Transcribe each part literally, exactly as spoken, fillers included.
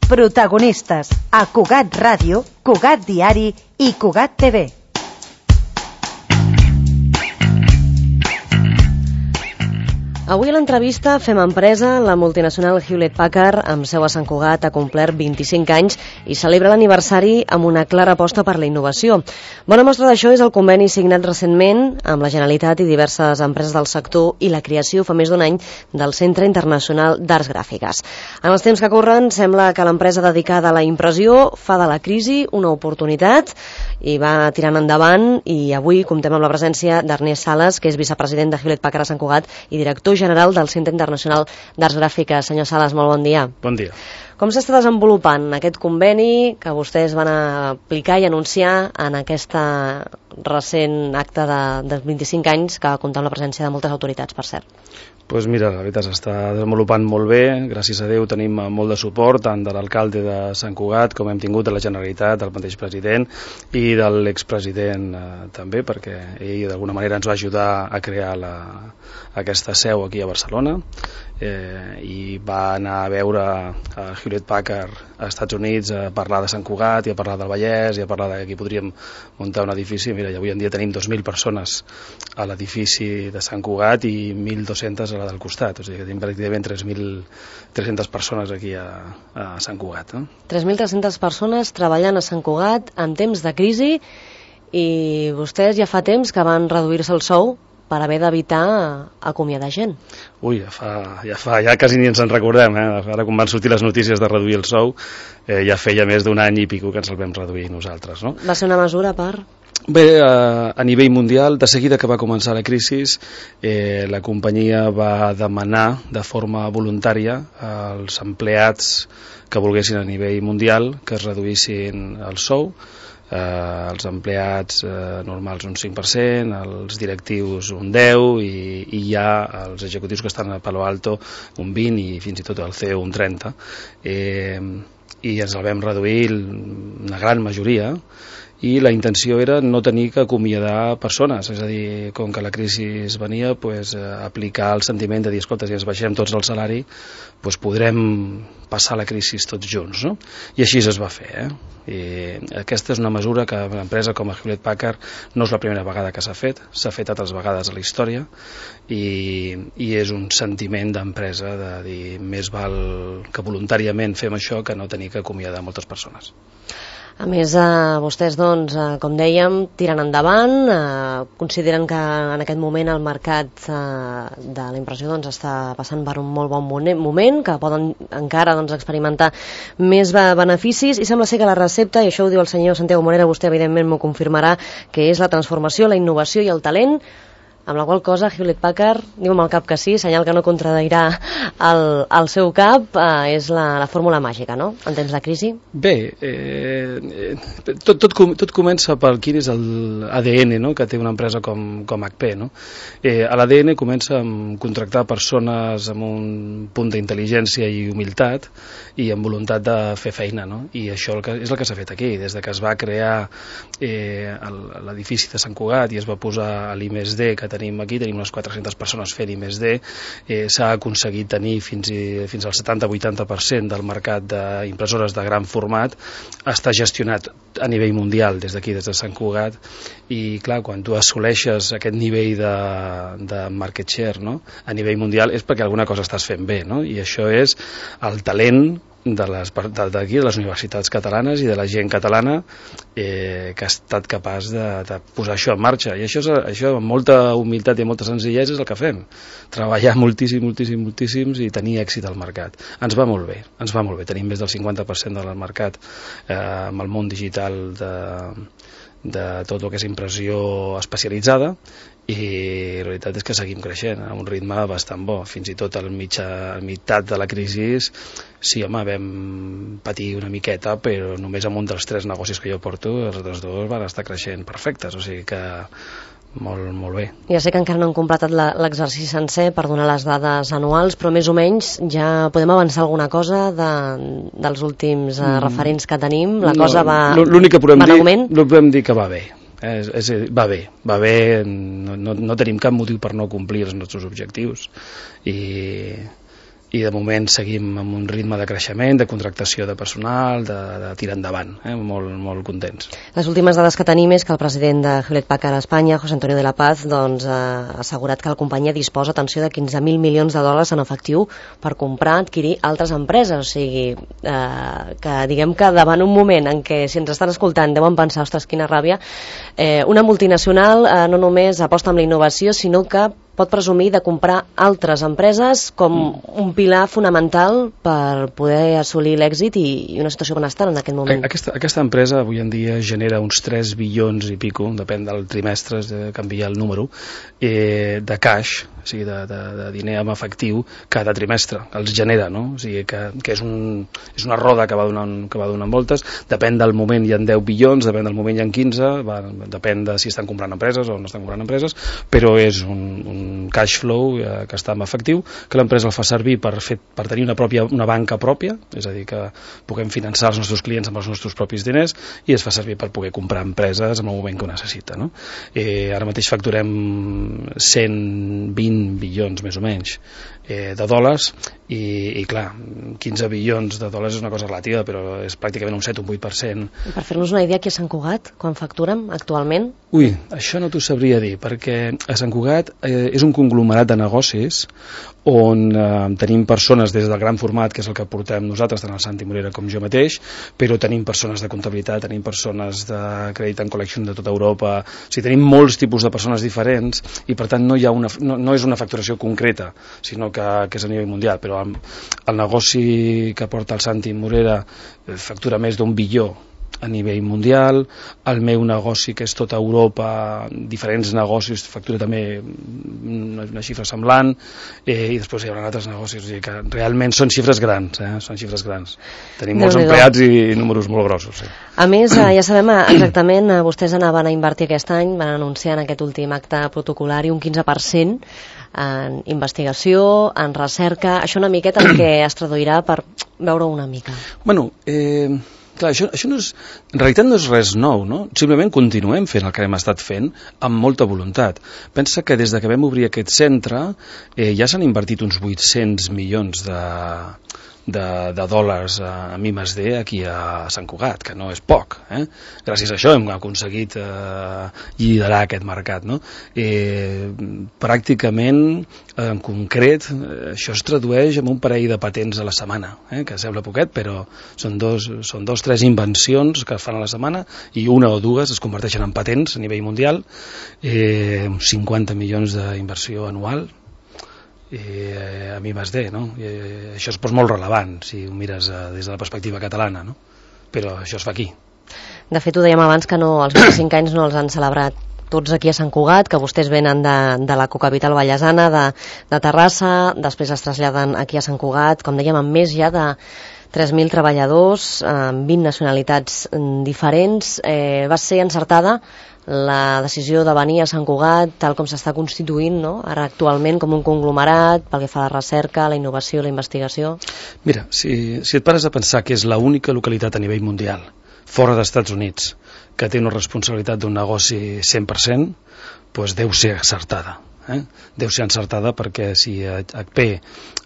Protagonistes a Cugat Ràdio, Cugat Diari i Cugat T V. Avui a l'entrevista fem empresa. La multinacional Hewlett-Packard, amb seu a Sant Cugat, ha complert vint-i-cinc anys i celebra l'aniversari amb una clara aposta per la innovació. Bona mostra d'això és el conveni signat recentment amb la Generalitat i diverses empreses del sector i la creació fa més d'un any del Centre Internacional d'Arts Gràfiques. En els temps que corren, sembla que l'empresa dedicada a la impressió fa de la crisi una oportunitat i va tirant endavant, i avui comptem amb la presència d'Ernest Sales, que és vicepresident de Hewlett-Packard a Sant Cugat i director general del Centre Internacional d'Arts Gràfiques. Senyor Sales, molt bon dia. Bon dia. Com s'està desenvolupant aquest conveni que vostès van aplicar i anunciar en aquesta recent acte de, dels vint-i-cinc anys, que va comptar amb la presència de moltes autoritats, per cert? Doncs pues mira, la veritat s'està desenvolupant molt bé, gràcies a Déu tenim molt de suport tant de l'alcalde de Sant Cugat com hem tingut de la Generalitat, del mateix president i de l'expresident eh, també, perquè ell d'alguna manera ens va ajudar a crear la, aquesta seu aquí a Barcelona, eh, i va anar a veure a Hewlett-Packard als Estats Units a parlar de Sant Cugat i a parlar del Vallès i a parlar de que aquí podríem muntar un edifici. Mira, i avui en dia tenim dos mil persones a l'edifici de Sant Cugat i mil dos-centes a la del costat, o sigui que tenim pràcticament tres mil tres-centes persones aquí a, a Sant Cugat. No? tres mil tres-centes persones treballant a Sant Cugat en temps de crisi, i vostès ja fa temps que van reduir-se el sou per haver d'evitar acomiadar gent. Ui, ja fa, ja fa, ja quasi ni ens en recordem, eh? Ara quan van sortir les notícies de reduir el sou, eh, ja feia més d'un any i pico que ens el vam reduir nosaltres, no? Va ser una mesura per... Bé, a, a nivell mundial, de seguida que va començar la crisi, eh, la companyia va demanar de forma voluntària als empleats que volguessin a nivell mundial que es reduïssin el sou. Eh, els empleats eh, normals un cinc per cent, els directius un deu i, i ja els executius que estan a Palo Alto un vint i fins i tot el C E O un trenta, eh, i ens el vam reduir una gran majoria, i la intenció era no tenir que acomiadar persones, és a dir, com que la crisi venia, pues, eh, aplicar el sentiment de dir, escolta, si ens baixem tots el salari, pues, podrem passar la crisi tots junts, no? I així es va fer, eh? I aquesta és una mesura que una empresa com a Hewlett-Packard no és la primera vegada que s'ha fet, s'ha fet altres vegades a la història, i, i és un sentiment d'empresa de dir, més val que voluntàriament fem això que no tenir que acomiadar moltes persones. A més, eh, vostès, doncs, eh, com dèiem, tiren endavant, eh, consideren que en aquest moment el mercat eh, de la impressió doncs, està passant per un molt bon moment, que poden encara doncs, experimentar més beneficis, i sembla ser que la recepta, i això ho diu el senyor Santiago Morera, vostè evidentment m'ho confirmarà, que és la transformació, la innovació i el talent, amb la qual cosa Hewlett-Packard, diu amb el cap que sí, senyal que no contradirà el, el seu cap, eh, és la, la fórmula màgica, no?, en temps de crisi. Bé, eh, tot, tot, tot comença per quin és l'A D N, no?, que té una empresa com, com H P, no? Eh, L'A D N comença amb contractar persones amb un punt d'intel·ligència i humilitat i amb voluntat de fer feina, no? I això és el que s'ha fet aquí, des de que es va crear eh, l'edifici de Sant Cugat i es va posar l'I més D que tenim aquí, tenim unes quatre-centes persones fent I més D, eh, s'ha aconseguit tenir fins, i, fins al setanta a vuitanta per cent del mercat d'impressores de gran format, està gestionat a nivell mundial des d'aquí, des de Sant Cugat, i clar, quan tu assoleixes aquest nivell de, de market share, no?, a nivell mundial, és perquè alguna cosa estàs fent bé, no?, i això és el talent de les, d'aquí, de les universitats catalanes i de la gent catalana eh, que ha estat capaç de, de posar això en marxa, i això, és, això amb molta humilitat i molta senzillesa és el que fem, treballar moltíssim, moltíssim, moltíssims i tenir èxit al mercat. Ens va molt bé, ens va molt bé, tenim més del cinquanta per cent del mercat eh, amb el món digital de, de tot el que és impressió especialitzada, i la veritat és que seguim creixent a un ritme bastant bo, fins i tot al mitjà, al meitat de la crisi, sí, home, vam patir una miqueta, però només amb un dels tres negocis que jo porto, els altres dos van estar creixent perfectes, o sigui que molt, molt bé. Ja sé que encara no han completat l'exercici sencer per donar les dades anuals, però més o menys ja podem avançar alguna cosa de, dels últims mm. referents que tenim? La cosa no, va, l'únic que podem va dir, d'augment? No podem dir que va bé. Eh, és, és, va bé, va bé, no, no, no tenim cap motiu per no complir els nostres objectius, i, i de moment seguim amb un ritme de creixement, de contractació de personal, de, de tirar endavant, eh? molt, molt contents. Les últimes dades que tenim és que el president de Hewlett Packard a Espanya, José Antonio de la Paz, doncs, ha assegurat que la companyia disposa, atenció, de quinze mil milions de dòlars en efectiu per comprar, adquirir altres empreses, o sigui, eh, que diguem que davant un moment en què, si ens estan escoltant, deuen pensar, ostres, quina ràbia, eh, una multinacional eh, no només aposta amb la innovació, sinó que pot presumir de comprar altres empreses com un pilar fonamental per poder assolir l'èxit i, i una situació benestant en aquest moment. Aquesta, aquesta empresa avui en dia genera uns tres bilions i pico, depèn del trimestre, de canviar el número, eh, de cash, o sigui, de, de, de diner en efectiu cada trimestre, els genera, no? O sigui, que, que és, un, és una roda que va, donant, que va donant voltes, depèn del moment hi ha deu bilions, depèn del moment hi ha quinze, va, depèn de si estan comprant empreses o no estan comprant empreses, però és un, un cash flow eh, que està en efectiu, que l'empresa el fa servir per, fer, per tenir una, pròpia, una banca pròpia, és a dir, que puguem finançar els nostres clients amb els nostres propis diners, i es fa servir per poder comprar empreses en el moment que ho necessita, no? Eh, ara mateix facturem cent vint bilions més o menys eh, de dòlars i, i clar, quinze bilions de dòlars és una cosa relativa, però és pràcticament un set o un vuit per cent. I per fer-nos una idea, qui és Sant Cugat, quan facturen actualment? Ui, això no t'ho sabria dir, perquè a Sant Cugat eh, és un conglomerat de negocis on eh, tenim persones des del gran format, que és el que portem nosaltres, tant el Santi Morera com jo mateix, però tenim persones de comptabilitat, tenim persones de Credit and Collection de tota Europa, o sigui, tenim molts tipus de persones diferents i per tant no, hi ha una, no, no és una facturació concreta, sinó que, que és a nivell mundial, però el, el negoci que porta el Santi Morera factura més d'un bilió a nivell mundial, el meu negoci que és tota Europa, diferents negocis, factura també una, una xifra semblant, eh, i després hi haurà altres negocis, o sigui que realment són xifres grans, eh? Són xifres grans. Tenim molts empleats i números molt grossos. Sí. A més, eh, ja sabem exactament, eh, vostès anaven a invertir aquest any, van anunciar en aquest últim acte protocolari un quinze per cent en investigació, en recerca, això una miqueta en què es traduirà per veure una mica. Bueno, eh... Clar, això, això no és, en realitat no és res nou, no? Simplement continuem fent el que hem estat fent amb molta voluntat. Pensa que des de que vam obrir aquest centre eh, ja s'han invertit uns vuit-cents milions de, de, de dòlars a I més D aquí a Sant Cugat, que no és poc. Eh? Gràcies a això hem aconseguit eh, liderar aquest mercat. No? Eh, pràcticament, en concret, això es tradueix en un parell de patents a la setmana, eh? Que sembla poquet, però són dos, són dos, tres invencions que es fan a la setmana i una o dues es converteixen en patents a nivell mundial, eh, cinquanta milions d'inversió anual, eh, a I més D, no? Eh, això és molt relevant si ho mires eh, des de la perspectiva catalana, no? Però això es fa aquí. De fet, ho dèiem abans que no, els vint-i-cinc anys no els han celebrat tots aquí a Sant Cugat, que vostès venen de, de la cocapital vallesana, de, de Terrassa, després es traslladen aquí a Sant Cugat, com dèiem, amb més ja de tres mil treballadors, amb vint nacionalitats diferents. Eh, va ser encertada la decisió de venir a Sant Cugat, tal com s'està constituint, no? Ara actualment com un conglomerat pel que fa a la recerca, la innovació, la investigació? Mira, si, si et pares a pensar que és l'única localitat a nivell mundial, fora dels Estats Units, que té una responsabilitat d'un negoci cent per cent, doncs deu ser encertada. Eh? Deu ser encertada perquè si H P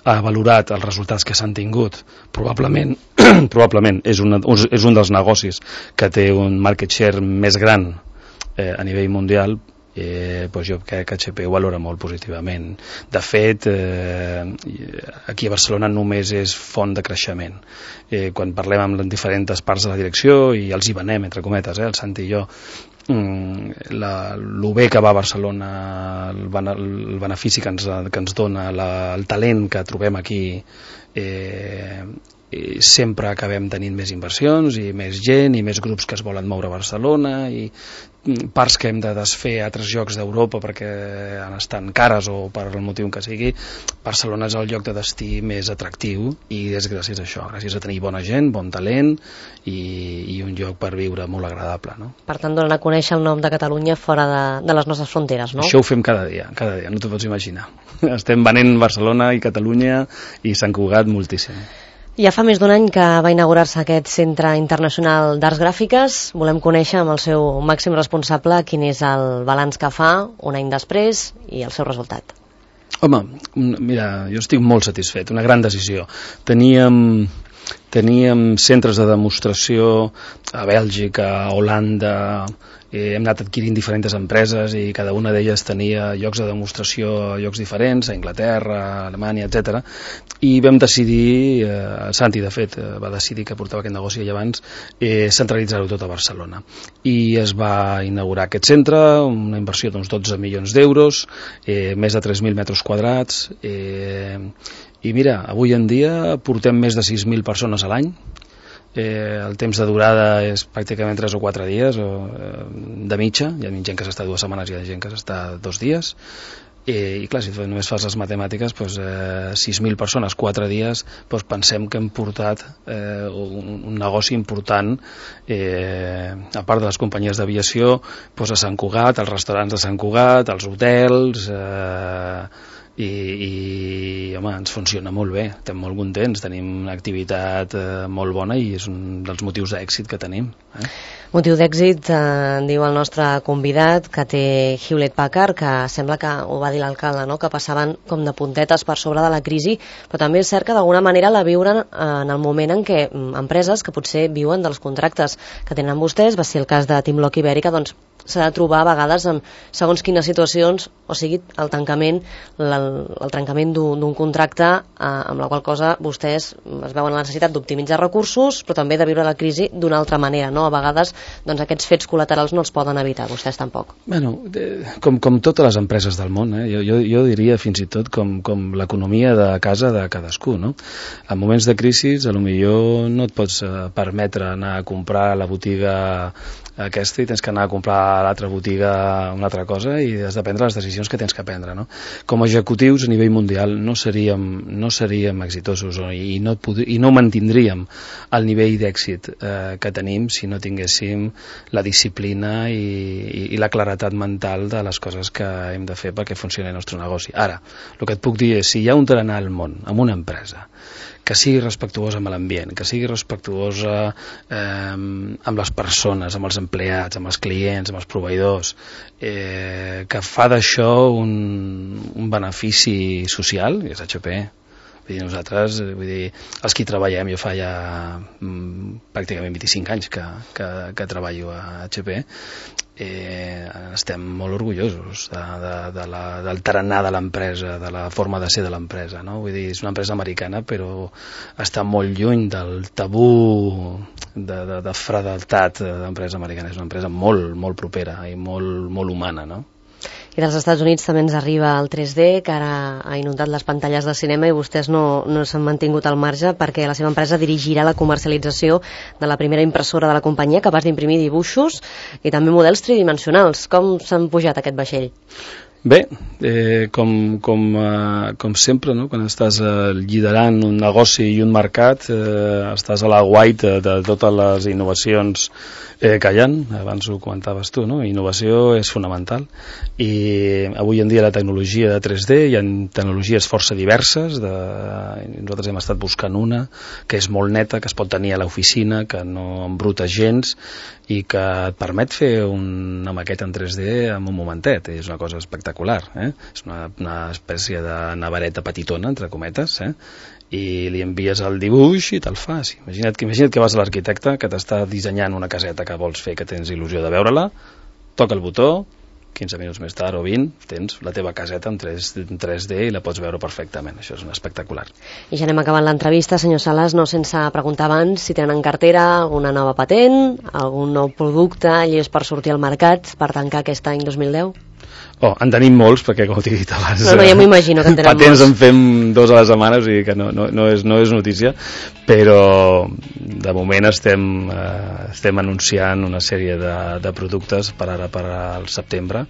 ha valorat els resultats que s'han tingut, probablement, probablement és, una, és un dels negocis que té un market share més gran eh, a nivell mundial, eh, doncs jo crec que H P ho valora molt positivament. De fet, eh, aquí a Barcelona només és font de creixement. Eh, quan parlem amb les diferents parts de la direcció, i els hi venem, entre cometes, eh, el Santi i jo, la, el bé que va a Barcelona, el, el benefici que ens, que ens dona, la, el talent que trobem aquí, eh, i sempre acabem tenint més inversions i més gent i més grups que es volen moure a Barcelona i parts que hem de desfer a altres llocs d'Europa perquè han estat cares o per el motiu que sigui. Barcelona és el lloc de destí més atractiu i és gràcies a això, gràcies a tenir bona gent, bon talent i, i un lloc per viure molt agradable, no? Per tant, donen a conèixer el nom de Catalunya fora de, de les nostres fronteres, no? Això ho fem cada dia, cada dia, no t'ho pots imaginar. Estem venent Barcelona i Catalunya i Sant Cugat moltíssim. Ja fa més d'un any que va inaugurar-se aquest Centre Internacional d'Arts Gràfiques. Volem conèixer amb el seu màxim responsable quin és el balanç que fa un any després i el seu resultat. Home, mira, jo estic molt satisfet, una gran decisió. Teníem, teníem centres de demostració a Bèlgica, a Holanda, eh, hem anat adquirint diferents empreses i cada una d'elles tenia llocs de demostració a llocs diferents, a Anglaterra, a Alemanya, etcètera. I vam decidir, eh, Santi de fet va decidir que portava aquest negoci allà abans, eh, centralitzar-ho tot a Barcelona. I es va inaugurar aquest centre, una inversió d'uns dotze milions d'euros, eh, més de tres mil metres quadrats, eh, i mira, avui en dia portem més de sis mil persones a l'any. Eh, el temps de durada és pràcticament tres o quatre dies o, eh, de mitja, hi ha gent que s'està dues setmanes i hi ha gent que s'està dos dies, eh, i clar, si només fas les matemàtiques, doncs, eh, sis mil persones, quatre dies, doncs pensem que hem portat eh, un, un negoci important, eh, a part de les companyies d'aviació, doncs a Sant Cugat, als restaurants de Sant Cugat, als hotels, eh, I, i home, ens funciona molt bé, estem molt contents, tenim una activitat eh, molt bona i és un dels motius d'èxit que tenim. Eh? Motiu d'èxit, eh, diu el nostre convidat, que té Hewlett Packard, que sembla que ho va dir l'alcalde, no? Que passaven com de puntetes per sobre de la crisi, però també és cert que d'alguna manera la viuren en el moment en què empreses que potser viuen dels contractes que tenen vostès, va ser el cas de Timlock Ibèrica, doncs s'ha de trobar a vegades en segons quines situacions, o sigui, el tancament, el, el trencament d'un contracte, eh, amb la qual cosa vostès es veuen la necessitat d'optimitzar recursos, però també de viure la crisi d'una altra manera, no? A vegades doncs, aquests fets col·laterals no els poden evitar, vostès tampoc. Bueno, com, com totes les empreses del món, eh? jo, jo, jo diria fins i tot com, com l'economia de casa de cadascú, no? En moments de crisi, a lo millor no et pots permetre anar a comprar a la botiga aquesta i tens que anar a comprar a l'altra botiga una altra cosa i has de prendre les decisions que tens que prendre, no? Com a executius a nivell mundial no seríem, no seríem exitosos i no, i no mantindríem el nivell d'èxit eh, que tenim si no tinguéssim la disciplina i, i, i la claretat mental de les coses que hem de fer perquè funcioni el nostre negoci. Ara, el que et puc dir és si hi ha un tarannà al món amb una empresa que sigui respectuosa amb l'ambient, que sigui respectuosa eh, amb les persones, amb els empleats, amb els clients, amb els proveïdors, eh, que fa d'això un, un benefici social, i és H P. Vull dir, nosaltres, vull dir, els que hi treballem, jo fa ja mm, pràcticament vint-i-cinc anys que, que, que treballo a H P, eh, estem molt orgullosos de, de, de la, del tarannà de l'empresa, de la forma de ser de l'empresa, no? Vull dir, és una empresa americana, però està molt lluny del tabú de, de, de fredeltat d'empresa americana. És una empresa molt, molt propera i molt, molt humana, no? I dels Estats Units també ens arriba el tres D, que ara ha inundat les pantalles de cinema i vostès no, no s'han mantingut al marge perquè la seva empresa dirigirà la comercialització de la primera impressora de la companyia capaç d'imprimir dibuixos i també models tridimensionals. Com s'han pujat aquest vaixell? Bé, eh, com, com, eh, com sempre, no? Quan estàs eh, liderant un negoci i un mercat, eh, estàs a la guaita de totes les innovacions eh, que hi ha. Abans ho comentaves tu, no? Innovació és fonamental i avui en dia la tecnologia de tres D, hi ha tecnologies força diverses, de, nosaltres hem estat buscant una que és molt neta, que es pot tenir a l'oficina, que no embruta gens i que et permet fer una maqueta en tres D en un momentet. És una cosa espectacular, eh? És una, una espècie de navareta petitona, entre cometes, eh? I li envies el dibuix i te'l fas. Imagina't, imagina't que vas a l'arquitecte que t'està dissenyant una caseta que vols fer, que tens il·lusió de veure-la, toca el botó, quinze minuts més tard o vint, tens la teva caseta en tres D i la pots veure perfectament. Això és un espectacular. I ja anem acabant l'entrevista, senyor Sales, no sense preguntar abans si tenen en cartera alguna nova patent, algun nou producte llest per sortir al mercat per tancar aquest any dos mil deu? Oh, en tenim molts, perquè com t'he dit abans... No, no, ja m'imagino que en tenen patents molts. en fem dos a la setmana, o sigui que no, no, no, és, no és notícia, però de moment estem, eh, estem anunciant una sèrie de, de productes per ara, per al setembre,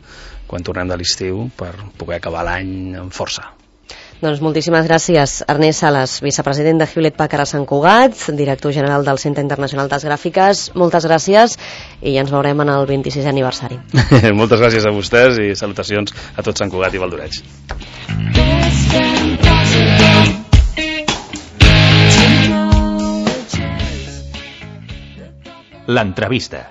quan tornem de l'estiu, per poder acabar l'any amb força. Doncs moltíssimes gràcies, Ernest Sales, vicepresident de Hewlett Packard a Sant Cugat, director general del Centre Internacional d'Arts Gràfiques. Moltes gràcies i ja ens veurem en el vint-i-sisè aniversari. Moltes gràcies a vostès i salutacions a tot Sant Cugat i Valdoreig. L'entrevista.